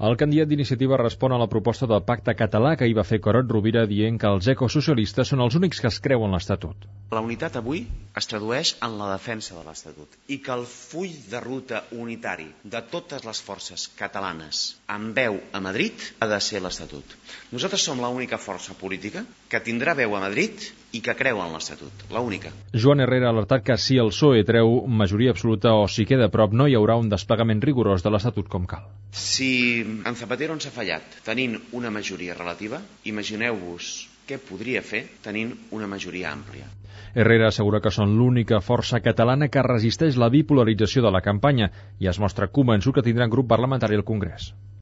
El candidat d'Iniciativa respon a la proposta del pacte català que hi va fer Carod Rovira dient que els ecosocialistes són els únics que es creuen l'Estatut. La unitat avui es tradueix en la defensa de l'Estatut i que el full de ruta unitari de totes les forces catalanes amb veu a Madrid ha de ser l'Estatut. Nosaltres som l'única força política que tindrà veu a Madrid i que creu en l'Estatut, l'única. Joan Herrera ha alertat que si el PSOE treu majoria absoluta o si queda a prop no hi haurà un desplegament rigorós de l'Estatut com cal. Si en Zapatero ens ha fallat tenint una majoria relativa, imagineu-vos què podria fer tenint una majoria àmplia. Herrera assegura que són l'única força catalana que resisteix la bipolarització de la campanya i es mostra convençut que tindran grup parlamentari al Congrés.